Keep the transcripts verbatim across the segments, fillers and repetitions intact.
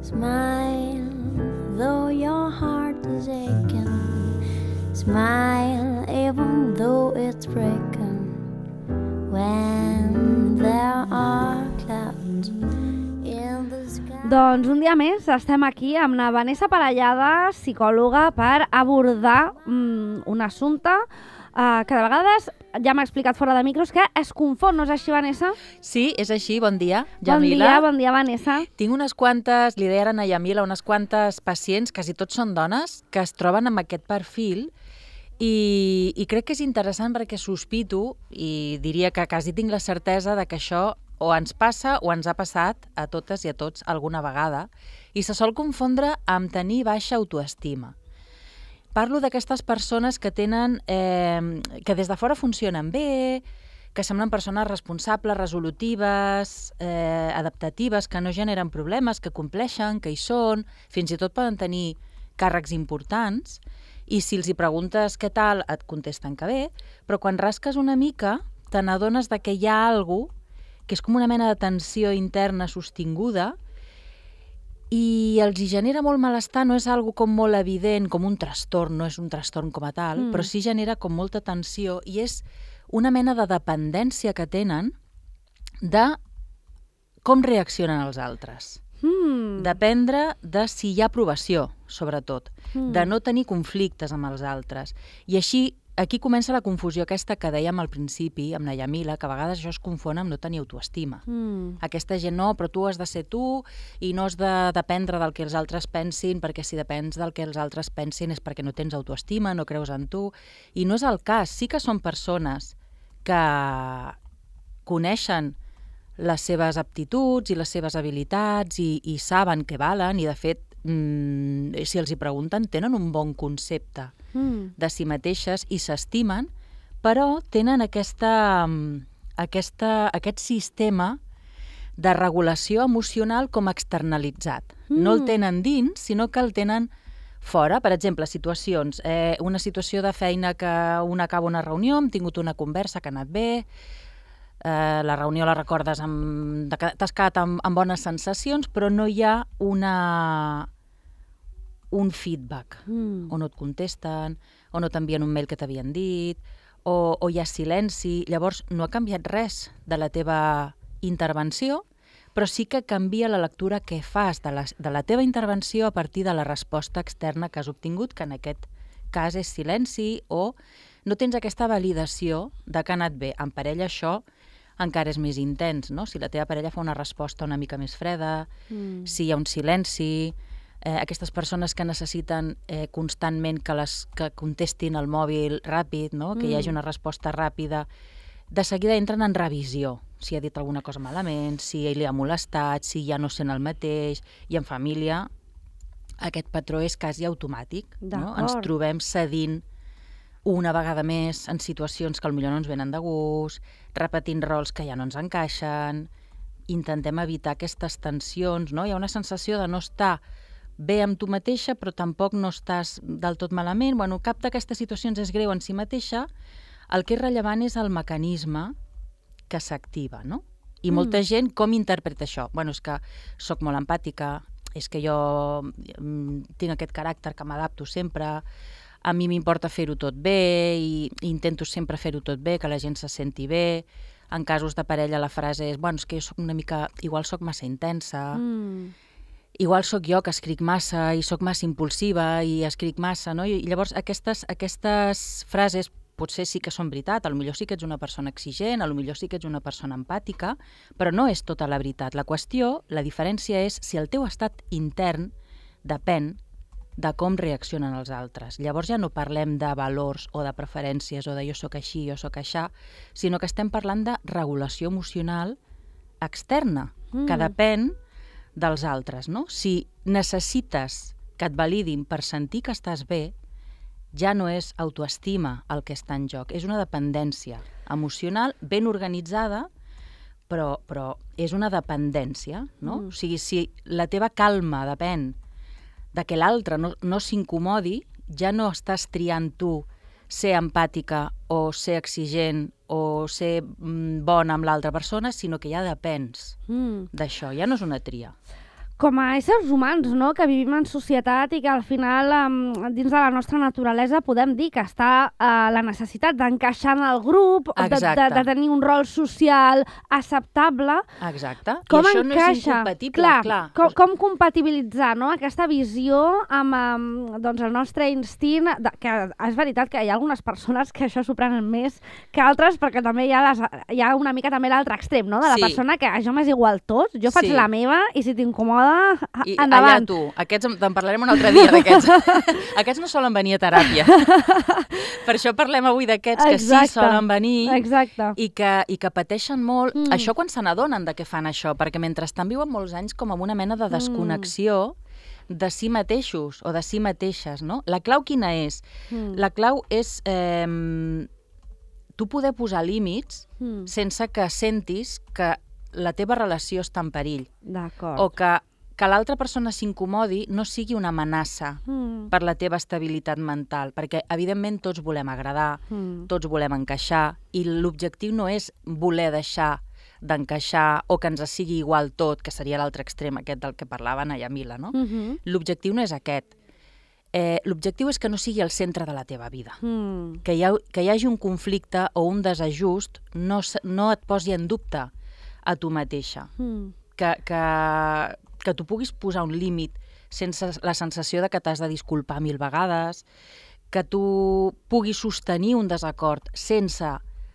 Smile, though your heart is aching. Smile, even though it's breaking. When there are clouds in the sky. Doncs un dia més estem aquí amb la Vanessa Parellada, psicòloga, per abordar mm, un assumpte uh, que de vegades, ja m'ha explicat fora de micros, que es confon, no és així, Vanessa? Sí, és així. Bon dia, Bon Yamila. dia, bon dia, Vanessa. Tinc unes quantes, li deia a Yamila, unes quantes pacients, quasi tots són dones, que es troben amb aquest perfil i, i crec que és interessant perquè sospito, i diria que quasi tinc la certesa de que això o ens passa o ens ha passat a totes i a tots alguna vegada, i se sol confondre amb tenir baixa autoestima. Parlo d'aquestes persones que tenen, eh, que des de fora funcionen bé, que semblen persones responsables, resolutives, eh, adaptatives, que no generen problemes, que compleixen, que hi són, fins i tot poden tenir càrrecs importants, i si els hi preguntes què tal, et contesten que bé, però quan rasques una mica te n'adones de que hi ha alguna cosa que és com una mena de tensió interna sostinguda i els hi genera molt malestar, no és algo com molt evident, com un trastorn, no és un trastorn com a tal, mm. però sí genera com molta tensió i és una mena de dependència que tenen de com reaccionen els altres. Mm. Dependre de si hi ha aprovació, sobretot, mm. de no tenir conflictes amb els altres. I així, aquí comença la confusió aquesta que dèiem al principi, amb la Yamila, que a vegades això es confon amb no tenir autoestima. Mm. Aquesta gent, no, però tu has de ser tu i no has de dependre del que els altres pensin, perquè si depens del que els altres pensin és perquè no tens autoestima, no creus en tu. I no és el cas. Sí que són persones que coneixen les seves aptituds i les seves habilitats i, i saben que valen i, de fet, mm, si els hi pregunten, tenen un bon concepte mm. de si mateixes i s'estimen, però tenen aquesta, aquesta, aquest sistema de regulació emocional com externalitzat. Mm. No el tenen dins, sinó que el tenen fora. Per exemple, situacions. Eh, una situació de feina que una acaba una reunió, hem tingut una conversa que ha anat bé, Eh, la reunió la recordes, amb, t'has quedat amb, amb bones sensacions, però no hi ha una, un feedback, mm. o no et contesten, o no t'envien un mail que t'havien dit, o, o hi ha silenci. Llavors no ha canviat res de la teva intervenció, però sí que canvia la lectura que fas de la, de la teva intervenció a partir de la resposta externa que has obtingut, que en aquest cas és silenci, o no tens aquesta validació de que ha anat bé. En parella això encara és més intens, no? Si la teva parella fa una resposta una mica més freda, mm. si hi ha un silenci, eh, aquestes persones que necessiten eh, constantment que, les, que contestin el mòbil ràpid, no? Que mm. hi hagi una resposta ràpida, de seguida entren en revisió, si ha dit alguna cosa malament, si li ha molestat, si ja no sent el mateix, i en família aquest patró és quasi automàtic, no? Ens trobem cedint una vegada més en situacions que potser no ens venen de gust, repetint rols que ja no ens encaixen, intentem evitar aquestes tensions, no? Hi ha una sensació de no estar bé amb tu mateixa, però tampoc no estàs del tot malament. Bueno, cap d'aquestes situacions és greu en si mateixa, el que és rellevant és el mecanisme que s'activa, no? I mm. molta gent com interpreta això? Bueno, és que sóc molt empàtica, és que jo tinc aquest caràcter que m'adapto sempre, a mi m'importa fer-ho tot bé i intento sempre fer-ho tot bé, que la gent se senti bé. En casos de parella la frase és, bueno, és que jo soc una mica, igual soc massa intensa, mm. igual sóc jo que escric massa i sóc massa impulsiva i escric massa, no? I llavors aquestes, aquestes frases potser sí que són veritat, potser sí que ets una persona exigent, potser sí que ets una persona empàtica, però no és tota la veritat. La qüestió, la diferència és si el teu estat intern depèn de com reaccionen els altres. Llavors ja no parlem de valors o de preferències o de jo sóc així, jo sóc aixà, sinó que estem parlant de regulació emocional externa, mm. que depèn dels altres, no? Si necessites que et validin per sentir que estàs bé, ja no és autoestima el que està en joc, és una dependència emocional ben organitzada, però, però és una dependència, no? Mm. O sigui, si la teva calma depèn de que l'altre no, no s'incomodi, ja no estàs triant tu ser empàtica o ser exigent o ser mm, bona amb l'altra persona, sinó que ja depens mm. d'això, ja no és una tria. com a éssers humans, no?, que vivim en societat i que al final, um, dins de la nostra naturalesa, podem dir que està uh, la necessitat d'encaixar en el grup, de, de, de tenir un rol social acceptable. Exacte. Com I això encaixa? no és incompatible, clar. clar. Com, com compatibilitzar, no?, aquesta visió amb, amb doncs, el nostre instint, de, que és veritat que hi ha algunes persones que això s'ho prenen més que altres, perquè també hi ha, les, hi ha una mica també l'altre extrem, no?, de la Sí. persona que això m'és igual tot, jo faig Sí. la meva i si t'incomoda, I endavant. allà tu. Aquests en- te'n parlarem un altre dia, d'aquests. Aquests no solen venir a teràpia. Per això parlem avui d'aquests que Exacte. sí solen venir Exacte. i que, i que pateixen molt. Mm. Això quan se n'adonen de què fan això, perquè mentrestant viuen molts anys com amb una mena de desconnexió de si mateixos o de si mateixes, no? La clau quina és? Mm. La clau és eh, tu poder posar límits Mm. sense que sentis que la teva relació està en perill D'acord. o que, que l'altra persona s'incomodi no sigui una amenaça Mm. per la teva estabilitat mental, perquè evidentment tots volem agradar, Mm. tots volem encaixar i l'objectiu no és voler deixar d'encaixar o que ens sigui igual tot, que seria l'altre extrem aquest del que parlava Naya Mila, no? Mhm. L'objectiu no és aquest. Eh, L'objectiu és que no sigui el centre de la teva vida. Mm. Que hi, ha, que hi hagi un conflicte o un desajust no, s- no et posi en dubte a tu mateixa. Mm. Que, que, que tu puguis posar un límit sense la sensació de que t'has de disculpar mil vegades, que tu puguis sostenir un desacord sense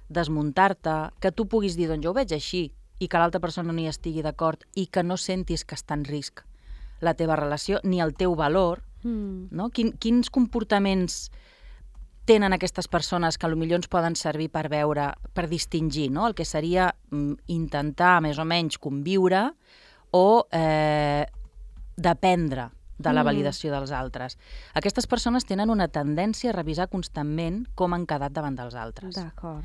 desmuntar-te, que tu puguis dir, doncs jo ho veig així, i que l'altra persona no hi estigui d'acord i que no sentis que està en risc la teva relació ni el teu valor, Mm. no? Quin, quins comportaments tenen aquestes persones que potser ens poden servir per veure, per distingir, no? El que seria mm, intentar més o menys conviure o eh, dependre de la Mm. validació dels altres. Aquestes persones tenen una tendència a revisar constantment com han quedat davant dels altres. D'acord.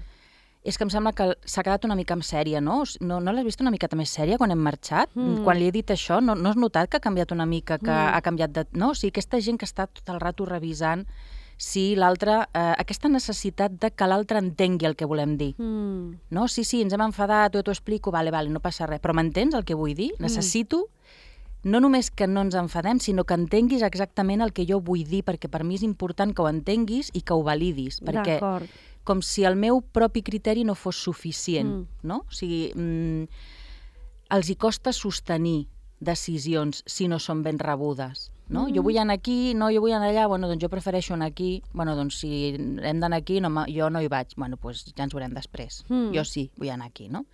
És que em sembla que s'ha quedat una mica en sèrie, no? No, no l'has vist una miqueta més sèria quan hem marxat? Mm. Quan li he dit això, no, no has notat que ha canviat una mica, que Mm. ha canviat de... No, o sigui, aquesta gent que està tot el rato revisant si l'altre... Eh, aquesta necessitat de que l'altre entengui el que volem dir. Mm. No? Sí, sí, ens hem enfadat, jo t'ho explico, vale, vale, no passa res. Però m'entens el que vull dir? Necessito no només que no ens enfadem, sinó que entenguis exactament el que jo vull dir, perquè per mi és important que ho entenguis i que ho validis. Perquè D'acord. com si el meu propi criteri no fos suficient, Mm. no? O sigui, mm, els hi costa sostenir decisions si no són ben rebudes, no? Mm. Jo vull anar aquí, no, jo vull anar allà, bueno, doncs jo prefereixo anar aquí, bueno, doncs si hem d'anar aquí, no, jo no hi vaig, bueno, doncs ja ens veurem després. Mm. Jo sí, vull anar aquí, no?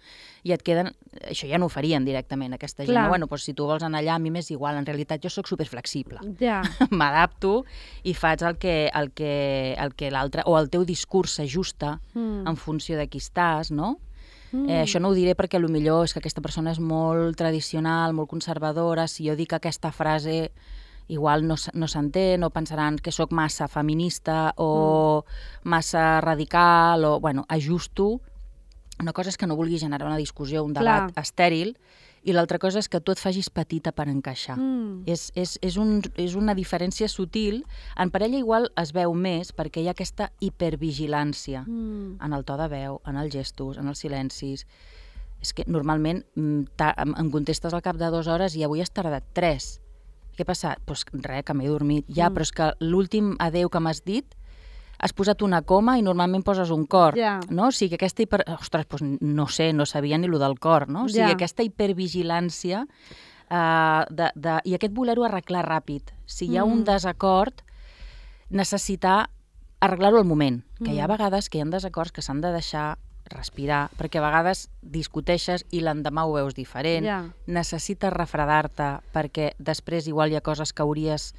I et queden... Això ja no ho farien directament, aquesta gent, Clar. no? Bueno, doncs si tu vols anar allà, a mi m'és igual, en realitat jo sóc superflexible. Ja. M'adapto i faig el que, el que, el que l'altre, o el teu discurs s'ajusta Mm. en funció de qui estàs, no? Mm. Eh, això no ho diré perquè potser és que aquesta persona és molt tradicional, molt conservadora. Si jo dic aquesta frase, igual no, s- no s'entén, o pensaran que sóc massa feminista o massa radical, o, bueno, ajusto. Una cosa és que no vulgui generar una discussió, un debat Clar. estèril, i l'altra cosa és que tu et facis petita per encaixar. Mm. És, és, és, un, és una diferència sutil. En parella igual es veu més perquè hi ha aquesta hipervigilància Mm. en el to de veu, en els gestos, en els silencis. És que normalment mm, ta- em em contestes al cap de dues hores i avui has tardat tres. Què ha passat? Doncs pues res, que m'he dormit. Ja, Mm. però és que l'últim adeu que m'has dit has posat una coma i normalment poses un cor, Ja. no? O sigui, aquesta hiper... Ostres, doncs no sé, no sabia ni lo del cor, no? O sigui, Ja. aquesta hipervigilància uh, de, de, i aquest voler-ho arreglar ràpid. Si hi ha Mm. un desacord, necessitar arreglar-ho al moment, que hi ha Mm. vegades que hi ha desacords que s'han de deixar respirar, perquè a vegades discuteixes i l'endemà ho veus diferent, Ja. necessites refredar-te perquè després igual hi ha coses que hauries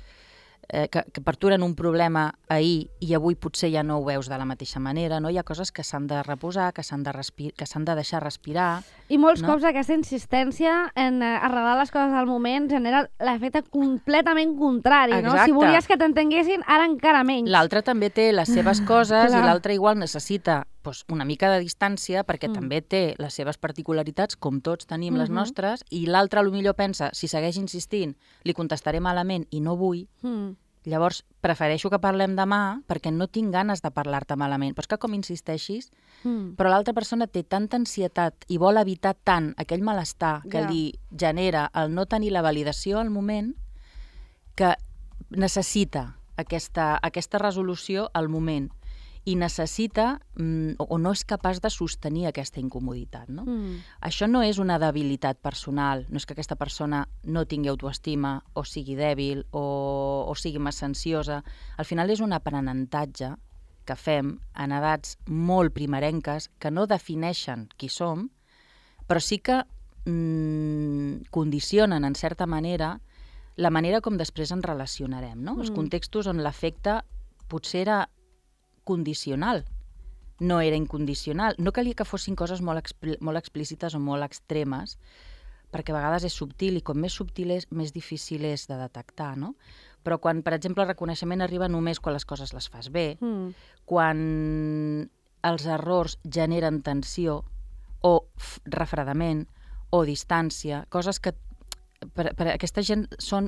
eh, que, que per tu eren un problema ahir i avui potser ja no ho veus de la mateixa manera, no? Hi ha coses que s'han de reposar, que s'han de, respir que s'han de deixar respirar. I molts No? cops aquesta insistència en eh, arreglar les coses al moment genera l'efecte completament contrari, no? Exacte. Si volies que t'entenguessin, ara encara menys. L'altre també té les seves coses Clar. i l'altre igual necessita doncs, una mica de distància perquè Mm. mm. també té les seves particularitats, com tots tenim les Mhm. nostres, i l'altre potser pensa, si segueix insistint, li contestaré malament i no vull, Mm. Llavors, prefereixo que parlem demà perquè no tinc ganes de parlar-te malament. Però és que com insisteixis, mm. però l'altra persona té tanta ansietat i vol evitar tant aquell malestar que yeah. li genera el no tenir la validació al moment, que necessita aquesta, aquesta resolució al moment i necessita mm, o no és capaç de sostenir aquesta incomoditat. No? Mm. Això no és una debilitat personal, no és que aquesta persona no tingui autoestima o sigui dèbil o, o sigui massa ansiosa. Al final és un aprenentatge que fem en edats molt primerenques que no defineixen qui som, però sí que mm, condicionen, en certa manera, la manera com després ens relacionarem. No? Mm. Els contextos on l'afecte potser era condicional, no era incondicional. No calia que fossin coses molt, expl molt explícites o molt extremes, perquè a vegades és subtil i com més subtil és, més difícil és de detectar, no? Però quan, per exemple, el reconeixement arriba només quan les coses les fas bé, mm. quan els errors generen tensió o refredament o distància, coses que Per, per aquesta gent són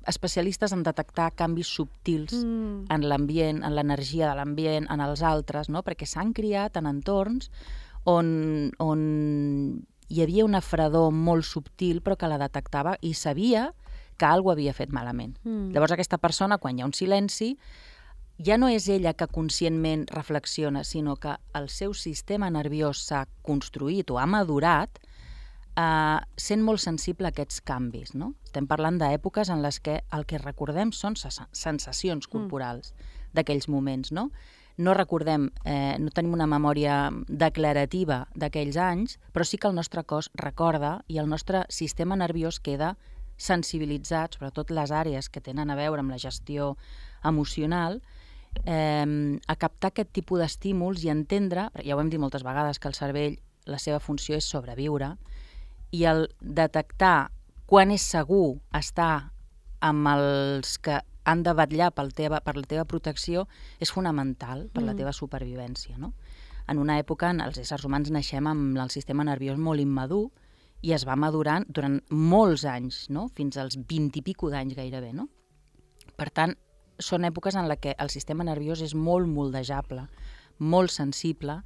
especialistes en detectar canvis subtils mm. en l'ambient, en l'energia de l'ambient, en els altres, no? Perquè s'han criat en entorns on, on hi havia una fredor molt subtil però que la detectava i sabia que alguna havia fet malament. Mm. Llavors aquesta persona, quan hi ha un silenci, ja no és ella que conscientment reflexiona, sinó que el seu sistema nerviós s'ha construït o ha madurat Uh, sent molt sensible a aquests canvis. No? Estem parlant d'èpoques en les que el que recordem són sensacions corporals mm. d'aquells moments. No, no recordem, eh, no tenim una memòria declarativa d'aquells anys, però sí que el nostre cos recorda i el nostre sistema nerviós queda sensibilitzat, sobretot les àrees que tenen a veure amb la gestió emocional, eh, a captar aquest tipus d'estímuls i entendre, ja ho hem dit moltes vegades, que el cervell, la seva funció és sobreviure, i el detectar quan és segur estar amb els que han de vetllar pel teva, per la teva protecció és fonamental per mm. la teva supervivència. No? En una època els éssers humans naixem amb el sistema nerviós molt immadur i es va madurant durant molts anys, no? Fins als vint i pico d'anys gairebé. No? Per tant, són èpoques en les que el sistema nerviós és molt moldejable, molt sensible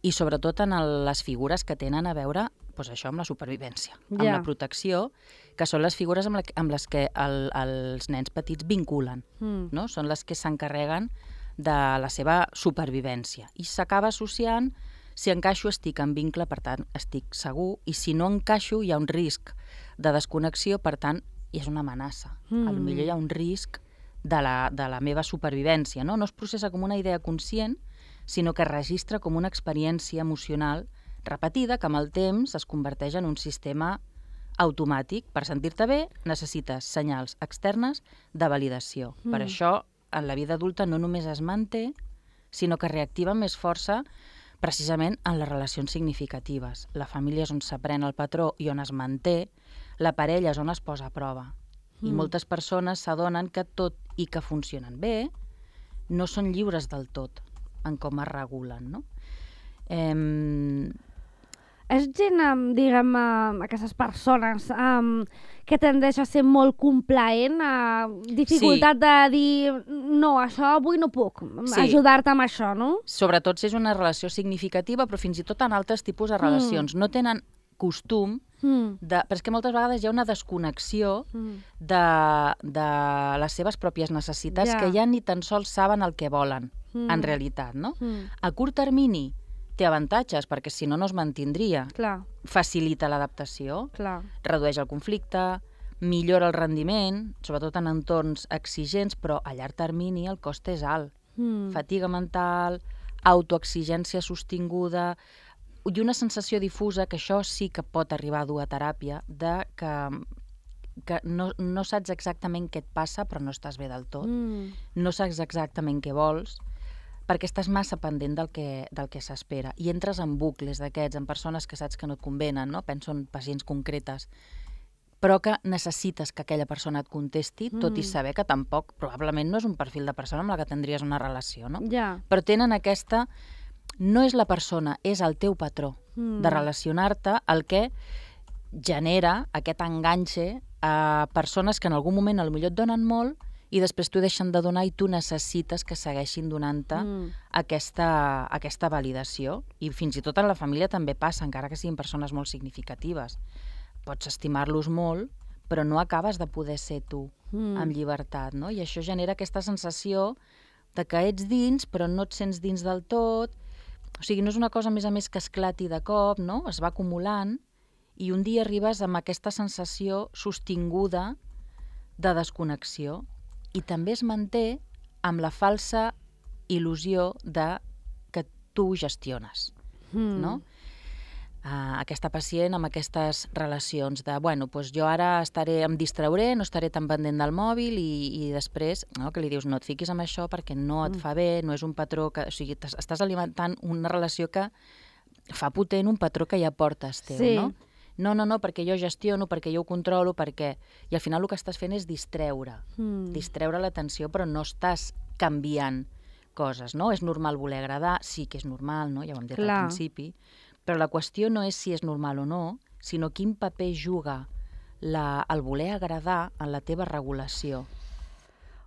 i sobretot en el, les figures que tenen a veure pues això amb la supervivència, yeah. amb la protecció, que són les figures amb, la, amb les que el, els nens petits vinculen, mm. no? Són les que s'encarreguen de la seva supervivència. I s'acaba associant, si encaixo estic en vincle, per tant estic segur, i si no encaixo hi ha un risc de desconnexió, per tant i és una amenaça. Mm. A lo millor hi ha un risc de la, de la meva supervivència. No? No es processa com una idea conscient, sinó que es registra com una experiència emocional repetida que amb el temps es converteix en un sistema automàtic. Per sentir-te bé necessites senyals externes de validació. Mm. Per això en la vida adulta no només es manté, sinó que reactiva més força precisament en les relacions significatives. La família és on s'aprèn el patró i on es manté, la parella és on es posa a prova. Mm. I moltes persones s'adonen que tot i que funcionen bé, no són lliures del tot en com es regulen, no? Eh, És gent, diguem, aquestes persones um, que tendeix a ser molt complaent, a dificultat sí. de dir no, això avui no puc, sí. ajudar-te amb això, no? Sobretot si és una relació significativa, però fins i tot en altres tipus de relacions. Mm. No tenen costum, mm. de, però és que moltes vegades hi ha una desconnexió mm. de, de les seves pròpies necessitats yeah. que ja ni tan sols saben el que volen, mm. en realitat, no? Mm. A curt termini té avantatges, perquè si no, no es mantindria. Clar. Facilita l'adaptació, redueix el conflicte, millora el rendiment, sobretot en entorns exigents, però a llarg termini el cost és alt. Mm. Fatiga mental, autoexigència sostinguda i una sensació difusa, que això sí que pot arribar a dur a teràpia, de que, que no, no saps exactament què et passa, però no estàs bé del tot. Mm. No saps exactament què vols, perquè estàs massa pendent del que, del que s'espera. I entres en bucles d'aquests, en persones que saps que no et convenen, no? Penso en pacients concretes, però que necessites que aquella persona et contesti, mm. tot i saber que tampoc, probablement no és un perfil de persona amb la que tindries una relació, no? Yeah. Però tenen aquesta... No és la persona, és el teu patró mm. de relacionar-te el que genera aquest enganxe a persones que en algun moment potser et donen molt i després t'ho deixen de donar i tu necessites que segueixin donant-te mm. aquesta, aquesta validació. I fins i tot en la família també passa, encara que siguin persones molt significatives. Pots estimar-los molt, però no acabes de poder ser tu mm. amb llibertat, no? I això genera aquesta sensació de que ets dins, però no et sents dins del tot. O sigui, no és una cosa, a més a més, que esclati de cop, no? Es va acumulant i un dia arribes amb aquesta sensació sostinguda de desconnexió i també es manté amb la falsa il·lusió de que tu ho gestiones, mm. no? Uh, aquesta pacient amb aquestes relacions de, bueno, doncs jo ara estaré, em distrauré, no estaré tan pendent del mòbil i, i després, no, que li dius, no et fiquis en això perquè no et fa bé, no és un patró que... O sigui, estàs alimentant una relació que fa potent un patró que ja portes teu, sí. no? No, no, no, perquè jo gestiono, perquè jo ho controlo, perquè... I al final el que estàs fent és distreure, mm. distreure l'atenció, però no estàs canviant coses, no? És normal voler agradar, sí que és normal, no? Ja ho hem dit Clar. al principi, però la qüestió no és si és normal o no, sinó quin paper juga la, el voler agradar en la teva regulació.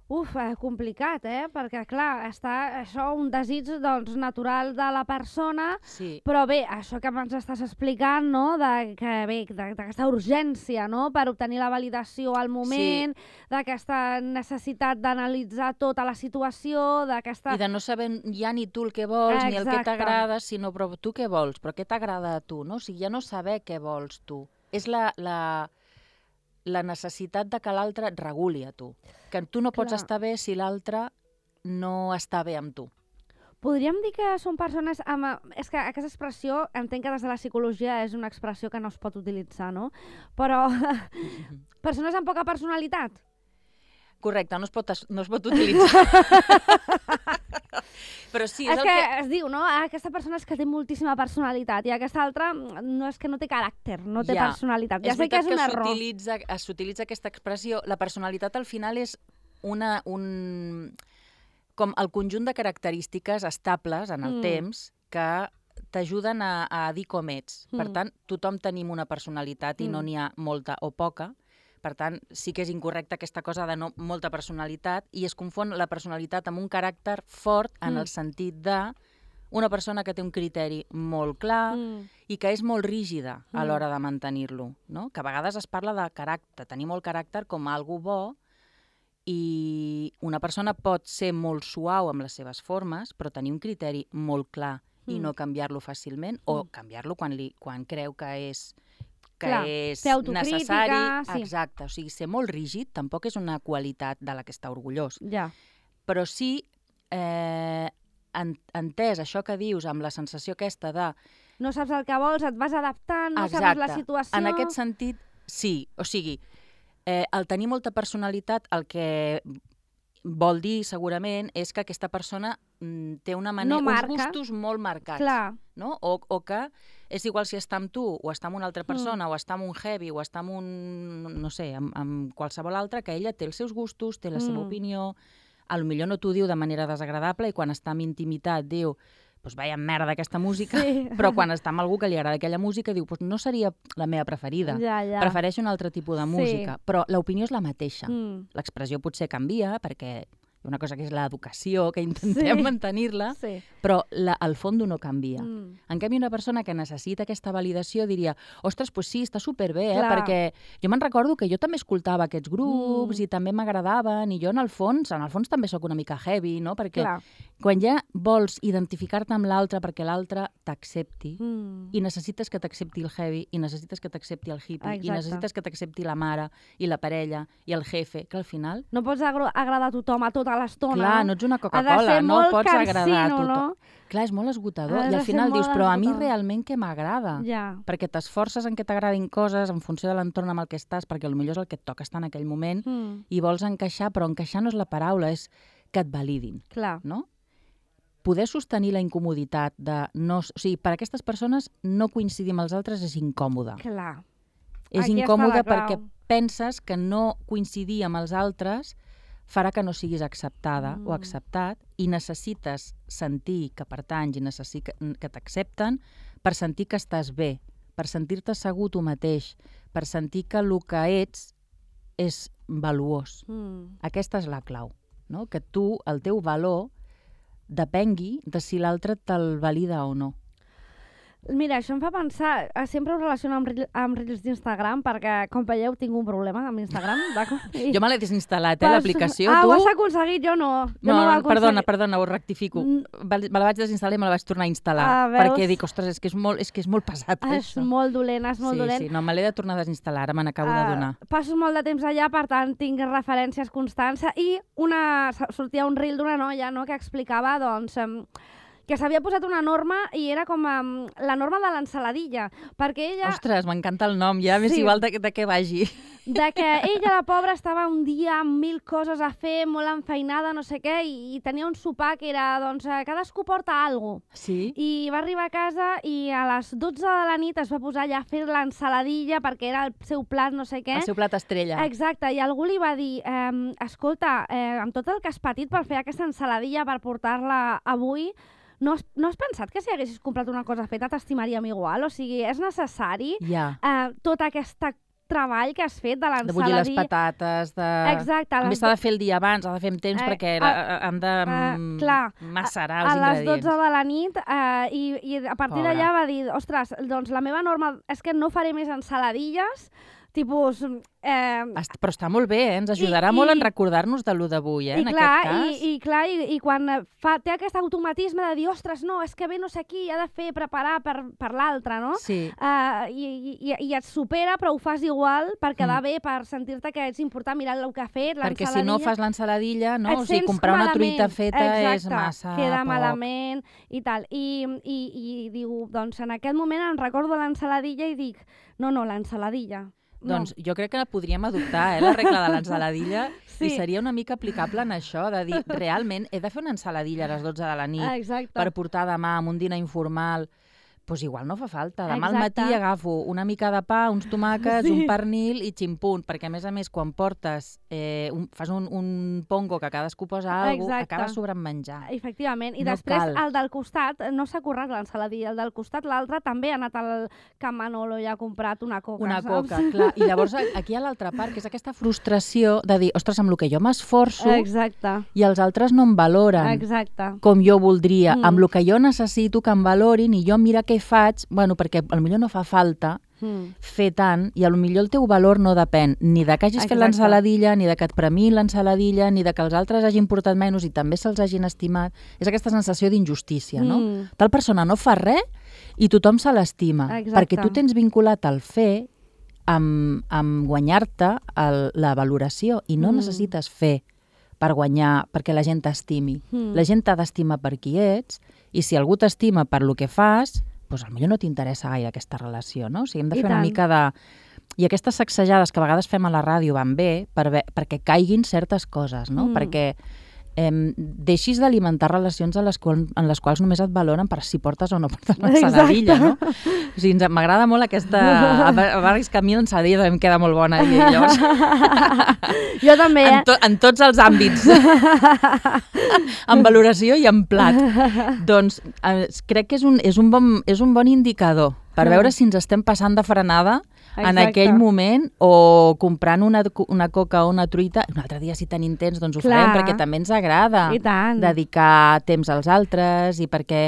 Uf, eh, complicat, eh? Perquè, clar, està això un desig doncs, natural de la persona, sí. però bé, això que ens estàs explicant, no?, de, que, bé, d'aquesta urgència, no?, per obtenir la validació al moment, sí. d'aquesta necessitat d'analitzar tota la situació, d'aquesta... I de no saber ja ni tu el que vols, Exacte. ni el que t'agrada, sinó però tu què vols, però què t'agrada a tu, no? O sigui, ja no saber què vols tu. És la... la... la necessitat de que l'altre et reguli a tu. Que tu no pots Clar. estar bé si l'altre no està bé amb tu. Podríem dir que són persones amb... És que aquesta expressió, entenc que des de la psicologia és una expressió que no es pot utilitzar, no? Però persones amb poca personalitat. Correcte, no es pot, no es pot utilitzar. Però sí, és, és el que, que... es diu, no? Aquesta persona és que té moltíssima personalitat i aquesta altra no és que no té caràcter, no té ja. personalitat. Ja és sé que és un que error. s'utilitza aquesta expressió. La personalitat al final és una, un, com el conjunt de característiques estables en el mm. temps que t'ajuden a, a dir com ets. Mm. Per tant, tothom tenim una personalitat i mm. no n'hi ha molta o poca. Per tant, sí que és incorrecta aquesta cosa de no, molta personalitat i es confon la personalitat amb un caràcter fort en mm. el sentit de una persona que té un criteri molt clar mm. i que és molt rígida a mm. l'hora de mantenir-lo, no? Que a vegades es parla de caràcter, tenir molt caràcter com algo bo i una persona pot ser molt suau amb les seves formes però tenir un criteri molt clar mm. i no canviar-lo fàcilment mm. o canviar-lo quan, li, quan creu que és... que Clar, és necessari. Sí. Exacte, o sigui, ser molt rígid tampoc és una qualitat de la que està orgullós. Ja. Però sí, eh, en, entès això que dius amb la sensació aquesta de... No saps el que vols, et vas adaptant, no Exacte. saps la situació... En aquest sentit, sí. O sigui, eh, el tenir molta personalitat, el que vol dir segurament és que aquesta persona mm, té una manera, no uns gustos molt marcats. Clar. No? O, o que és igual si està amb tu, o està amb una altra persona, mm. o està amb un heavy, o està amb un, no sé, amb, amb qualsevol altre, que ella té els seus gustos, té la seva mm. opinió, a lo millor no t'ho diu de manera desagradable i quan està en intimitat diu pues vaya merda aquesta música, sí. però quan està amb algú que li agrada aquella música diu pues no seria la meva preferida, ja, ja. prefereixo un altre tipus de música, sí. però l'opinió és la mateixa. Mm. L'expressió potser canvia perquè hi ha una cosa que és l'educació, que intentem sí. mantenir-la, sí. però la, el fons no canvia. Mm. En canvi, una persona que necessita aquesta validació diria, ostres, pues sí, està superbé, eh? Clar. Perquè jo me'n recordo que jo també escoltava aquests grups mm. i també m'agradaven, i jo en el fons, en el fons també sóc una mica heavy, no? Perquè Clar. quan ja vols identificar-te amb l'altre perquè l'altre t'accepti, mm. i necessites que t'accepti el heavy, i necessites que t'accepti el hippie, Exacte. i necessites que t'accepti la mare, i la parella, i el jefe, que al final... No pots agradar a tothom a tota l'estona. Clar, no ets una Coca-Cola, no pots cansino, agradar a tothom. No? Clar, és molt esgotador. I al final dius, però a mi realment què m'agrada? Ja. Perquè t'esforces en que t'agradin coses en funció de l'entorn amb el que estàs, perquè potser és el que et toca estar en aquell moment, mm. i vols encaixar, però encaixar no és la paraula, és que et validin. Clar. No? Poder sostenir la incomoditat de... No, o sigui, per a aquestes persones no coincidir amb els altres és incòmode. Clar. És Aquí incòmode perquè penses que no coincidir amb els altres farà que no siguis acceptada mm. o acceptat i necessites sentir que pertanys i necessi que t'accepten per sentir que estàs bé, per sentir-te segur tu mateix, per sentir que el que ets és valuós. Mm. Aquesta és la clau, no? Que tu, el teu valor, depengui de si l'altre te'l valida o no. Mira, això em fa pensar, sempre ho relaciono amb, amb Reels d'Instagram, perquè, com veieu, tinc un problema amb Instagram, d'acord? I... Jo me l'he desinstal·lat, eh, l'aplicació, ah, tu... Ah, ho has aconseguit, jo no. Jo no, no, no perdona, perdona, ho rectifico. Mm. Me la vaig desinstal·lar i me la vaig tornar a instal·lar, ah, perquè dic, ostres, és que és molt, és que és molt pesat, ah, això. És molt dolent, és molt sí, dolent. Sí, no, me l'he de tornar a desinstal·lar, ara me n'acabo uh, de donar. Passo molt de temps allà, per tant, tinc referències constants, i una, sortia un reel d'una noia, no?, que explicava, doncs... Um, que s'havia posat una norma i era com um, la norma de l'ensaladilla, perquè ella... Ostres, m'encanta el nom, ja m'és sí. igual de, de què vagi. De que ella, la pobra, estava un dia amb mil coses a fer, molt enfeinada, no sé què, i, i tenia un sopar que era, doncs, cadascú porta alguna cosa. Sí? I va arribar a casa i a les dotze de la nit es va posar allà a fer l'ensaladilla perquè era el seu plat, no sé què. El seu plat estrella. Exacte, i algú li va dir, eh, escolta, eh, amb tot el que has patit per fer aquesta ensaladilla, per portar-la avui, No has, no has pensat que si haguessis comprat una cosa feta t'estimaríem igual? O sigui, és necessari ja. eh, tot aquest treball que has fet de l'ensaladilla... De bullir les patates, de... Exacte. A més, s'ha de fer el dia abans, s'ha de fer amb temps, eh, perquè a, han de uh, clar, macerar els ingredients. A les dotze de la nit, eh, i, i a partir d'allà va dir, ostres, doncs la meva norma és que no faré més ensaladilles, tipus... Eh, Però està molt bé, eh? Ens ajudarà i, molt i, en recordar-nos de lo d'avui, eh? I en clar, aquest cas. I, i, clar, i, i quan fa, té aquest automatisme de dir, ostres, no, és que ve no sé qui, ha de fer, preparar per, per l'altre, no? Sí. Uh, i, i, I et supera, però ho fas igual per quedar mm. bé, per sentir-te que ets important mirar el que ha fet, l'ensaladilla. Perquè si no fas l'ensaladilla, no? O sigui, comprar malament. Una truita feta Exacte. És massa queda poc. Malament i tal. I, i, i diu, doncs en aquest moment em recordo l'ensaladilla i dic, no, no, l'ensaladilla. No. Doncs jo crec que podríem adoptar eh, la regla de l'ensaladilla sí. i seria una mica aplicable en això, de dir, realment he de fer una ensaladilla a les dotze de la nit Exacte. Per portar demà amb un dinar informal. Doncs igual no fa falta. Demà Exacte. al matí agafo una mica de pa, uns tomàquets, sí. un pernil i ximpunt, perquè a més a més quan portes, eh, un, fas un, un pongo que cadascú posa alguna cosa, acaba sobrant menjar. Efectivament. I no després cal. El del costat no s'ha currat l'ensaladilla, el del costat l'altre també ha anat al Can Manolo i ha comprat una coca, Una saps? coca, clar. I llavors aquí hi ha l'altra part, que és aquesta frustració de dir, ostres, amb el que jo m'esforço i els altres no em valoren Exacte. com jo voldria, Mm. amb el que jo necessito que em valorin i jo mira què faig, bueno, perquè potser no fa falta mm. fer tant i potser el teu valor no depèn ni de que hagis Exacte. fet l'ensaladilla, ni de que et premiïn l'ensaladilla, ni de que els altres hagin portat menys i també se'ls hagin estimat. És aquesta sensació d'injustícia, no? Mm. Tal persona no fa res i tothom se l'estima, perquè tu tens vinculat el fer amb, amb guanyar-te el, la valoració i no mm. necessites fer per guanyar, perquè la gent t'estimi. Mm. La gent t'ha d'estimar per qui ets i si algú t'estima per lo que fas, doncs potser no t'interessa gaire aquesta relació, no? O sigui, hem de fer una mica de... I aquestes sacsejades que a vegades fem a la ràdio van bé per ve... perquè caiguin certes coses, no? Mm. Perquè eh, deixis d'alimentar relacions en les, qual... en les quals només et valoren per si portes o no portes l'ensaladilla, no? O sigui, m'agrada molt aquesta... A vegades que a mi l'ensaladilla també em queda molt bona i llavors... Jo també, eh? En, to... en tots els àmbits. En valoració i en plat. Doncs eh, crec que és un, és, un bon, és un bon indicador per veure si ens estem passant de frenada Exacte. En aquell moment o comprant una, una coca o una truita. Un altre dia, si tenim temps, doncs ho Clar. Farem, perquè també ens agrada dedicar temps als altres i perquè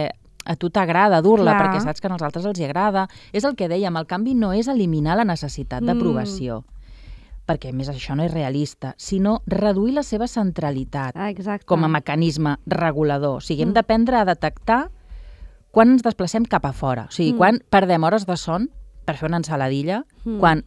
a tu t'agrada dur-la, perquè saps que als altres els hi agrada. És el que dèiem, el canvi no és eliminar la necessitat d'aprovació. Mm. perquè a més això no és realista, sinó reduir la seva centralitat Exacte. Com a mecanisme regulador. O sigui, hem mm. d'aprendre a detectar quan ens desplacem cap a fora. O sigui, mm. quan perdem hores de son per fer una ensaladilla, mm. quan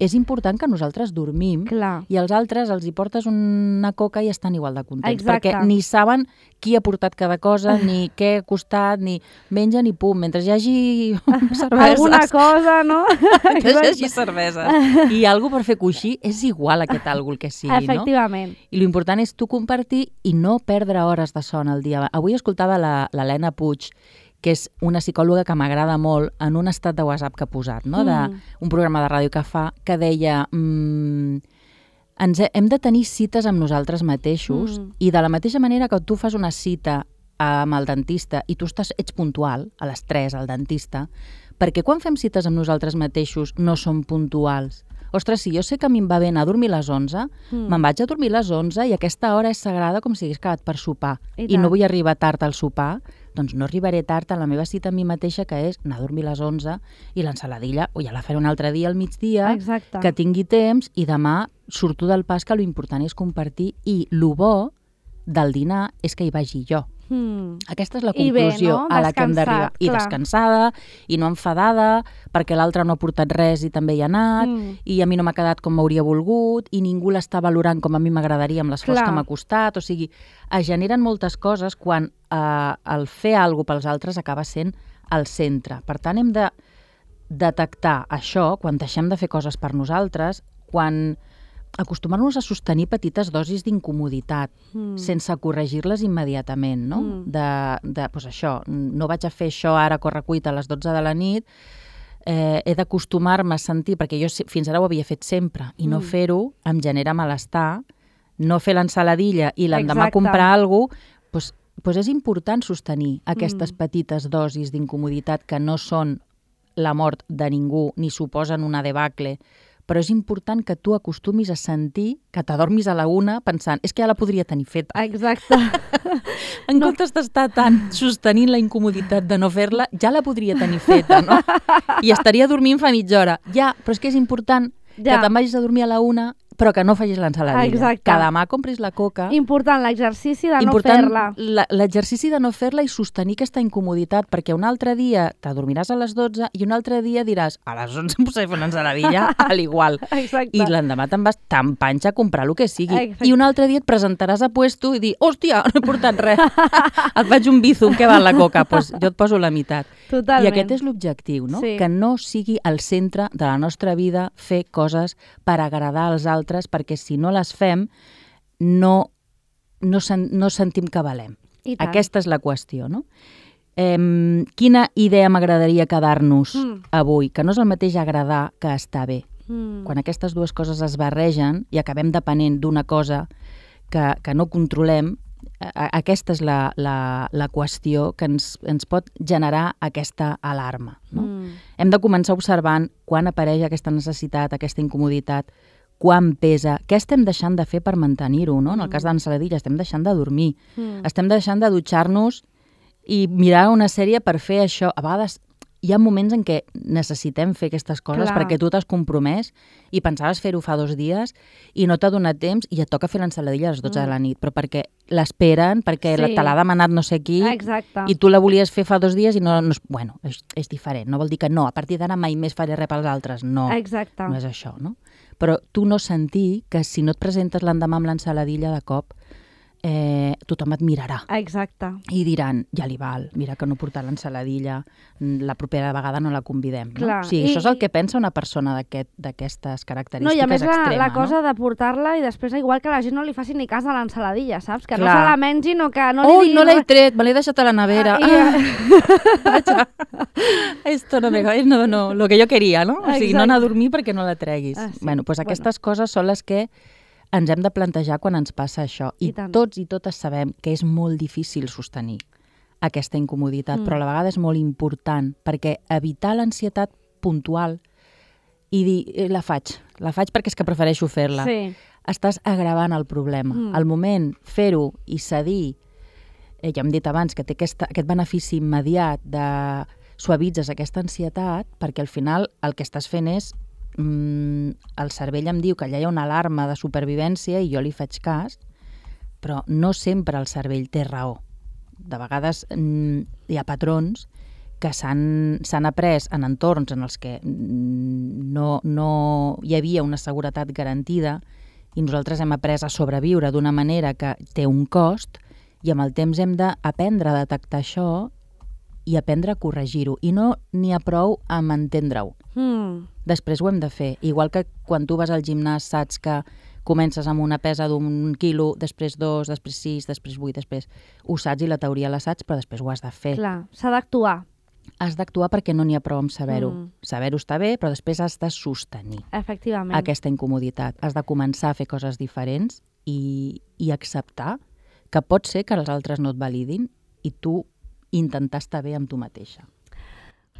és important que nosaltres dormim Clar. I als altres els hi portes una coca i estan igual de contents, Exacte. perquè ni saben qui ha portat cada cosa, ni què ha costat, ni mengen ni pum, mentre hi hagi cerveses. Alguna cosa, no? Que hi hagi cervesa. I alguna per fer coixí és igual aquest algo el que sigui, Efectivament. no? I l'important és tu compartir i no perdre hores de son al dia. Avui escoltava l'Helena Puig, que és una psicòloga que m'agrada molt, en un estat de WhatsApp que ha posat, no? de, un programa de ràdio que fa, que deia mmm, ens he, hem de tenir cites amb nosaltres mateixos mm. i de la mateixa manera que tu fas una cita amb el dentista i tu estàs, ets puntual, a les tres al dentista, perquè quan fem cites amb nosaltres mateixos no som puntuals? O ostres, si jo sé que a mi em va bé anar a dormir a les onze, mm. me'n vaig a dormir a les onze i aquesta hora és sagrada com si hagués acabat per sopar. I, I no vull arribar tard al sopar, doncs no arribaré tard a la meva cita amb mi mateixa, que és anar a dormir a les onze i l'ensaladilla, o ja la faré un altre dia al migdia, Exacte. que tingui temps i demà surto del pas, que l'important és compartir i lo bo del dinar és que hi vagi jo. Mm. Aquesta és la conclusió bé, no? a la que hem d'arribar. I clar. descansada, i no enfadada, perquè l'altre no ha portat res i també hi ha anat, mm. i a mi no m'ha quedat com m'hauria volgut, i ningú l'està valorant com a mi m'agradaria amb l'esforç que m'ha costat. O sigui, es generen moltes coses quan eh, el fer alguna cosa pels altres acaba sent el centre. Per tant, hem de detectar això quan deixem de fer coses per nosaltres, quan acostumar-nos a sostenir petites dosis d'incomoditat, mm. sense corregir-les immediatament, no? Mm. De, de, doncs això, no vaig a fer això ara a correcuita a les dotze de la nit, eh, he d'acostumar-me a sentir, perquè jo fins ara ho havia fet sempre, i no mm. fer-ho em genera malestar, no fer l'ensaladilla i l'endemà comprar alguna cosa, doncs, doncs és important sostenir aquestes mm. petites dosis d'incomoditat que no són la mort de ningú ni suposen una debacle, però és important que tu acostumis a sentir que t'adormis a la una pensant, és que ja la podria tenir feta. Exacte. En no. comptes d'estar tant sostenint la incomoditat de no fer-la, ja la podria tenir feta, no? I estaria dormint fa mitja hora. Ja, però és que és important ja. que te'n vagis a dormir a la una, però que no facis l'ensaladilla. Exacte. Que demà compris la coca. Important l'exercici de Important no fer-la. L'exercici de no fer-la i sostenir aquesta incomoditat, perquè un altre dia t'adormiràs a les dotze i un altre dia diràs, a les onze em posaré a fer una ensaladilla, a l'igual. Exacte. I l'endemà te'n vas tan panxa a comprar el que sigui. Exacte. I un altre dia et presentaràs a puesto i dir, hòstia, no he portat res. Et faig un bizum, què val la coca? Pues jo et poso la meitat. Totalment. I aquest és l'objectiu, no? Sí. Que no sigui el centre de la nostra vida fer coses per agradar als altres, perquè si no les fem, no, no, sen, no sentim que valem. Aquesta és la qüestió, no? Eh, quina idea m'agradaria quedar-nos mm. avui? Que no és el mateix agradar que estar bé. Mm. Quan aquestes dues coses es barregen i acabem depenent d'una cosa que, que no controlem, aquesta és la, la, la qüestió que ens, ens pot generar aquesta alarma. No? Mm. Hem de començar observant quan apareix aquesta necessitat, aquesta incomoditat, quan pesa, què estem deixant de fer per mantenir-ho, no? En el cas de l'ensaladilla estem deixant de dormir, mm. estem deixant de dutxar-nos i mirar una sèrie per fer això. A vegades hi ha moments en què necessitem fer aquestes coses Clar. perquè tu t'has compromès i pensaves fer-ho fa dos dies i no t'ha donat temps i et toca fer l'ensaladilla a les dotze mm. de la nit, però perquè l'esperen, perquè sí. te l'ha demanat no sé qui Exacte. i tu la volies fer fa dos dies i no... no bueno, és, és diferent, no vol dir que no, a partir d'ara mai més faré res pels altres, no, Exacte. no és això, no? Però tu no sentir que si no et presentes l'endemà amb l'ensaladilla de cop, eh, tothom et mirarà. Exacte. I diran, ja li val, mira que no portar l'ensaladilla, la propera vegada no la convidem. No? Clar. O sigui, I, això és el que pensa una persona d'aquestes aquest, característiques no, i a més extrema, la, la cosa no? de portar-la i després igual que la gent no li faci ni cas a l'ensaladilla, saps? Que Clar. no se la mengin o que no li Ui, diguin... no l'he tret, me l'he deixat a la nevera. Ah, ah. Esto no me... No, no, lo que yo quería, no? O sigui, Exacte. no anar a dormir perquè no la treguis. Ah, sí. Bueno, doncs aquestes bueno. coses són les que ens hem de plantejar quan ens passa això. I, I tots i totes sabem que és molt difícil sostenir aquesta incomoditat, mm. però a la vegada és molt important, perquè evitar l'ansietat puntual i dir, eh, la faig, la faig perquè és que prefereixo fer-la. Sí. Estàs agravant el problema. Mm. Al moment, fer-ho i cedir, eh, ja hem dit abans que té aquesta, aquest benefici immediat de suavitzes aquesta ansietat, perquè al final el que estàs fent és el cervell em diu que allà hi ha una alarma de supervivència i jo li faig cas, però no sempre el cervell té raó. De vegades hi ha patrons que s'han après en entorns en els que no, no hi havia una seguretat garantida i nosaltres hem après a sobreviure d'una manera que té un cost i amb el temps hem d'aprendre a detectar això i aprendre a corregir-ho. I no n'hi ha prou amb entendre-ho. Mm. Després ho hem de fer. Igual que quan tu vas al gimnàs saps que comences amb una pesa d'un quilo, després dos, després sis, després vuit, després ho saps i la teoria la saps, però després ho has de fer. Clar, s'ha d'actuar. Has d'actuar perquè no n'hi ha prou amb saber-ho. Mm. Saber-ho està bé, però després has de sostenir Efectivament. aquesta incomoditat. Has de començar a fer coses diferents i, i acceptar que pot ser que els altres no et validin i tu intentar estar bé amb tu mateixa.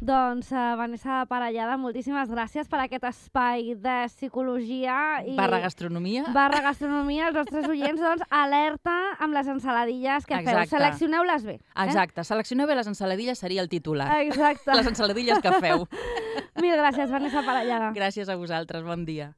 Doncs, uh, Vanessa Parellada, moltíssimes gràcies per aquest espai de psicologia i... Barra gastronomia. Barra gastronomia. Els nostres oients, doncs, alerta amb les ensaladilles que Exacte. feu. Seleccioneu-les bé. Eh? Exacte. Seleccioneu bé les ensaladilles seria el titular. Exacte. Les ensaladilles que feu. Mil gràcies, Vanessa Parellada. Gràcies a vosaltres. Bon dia.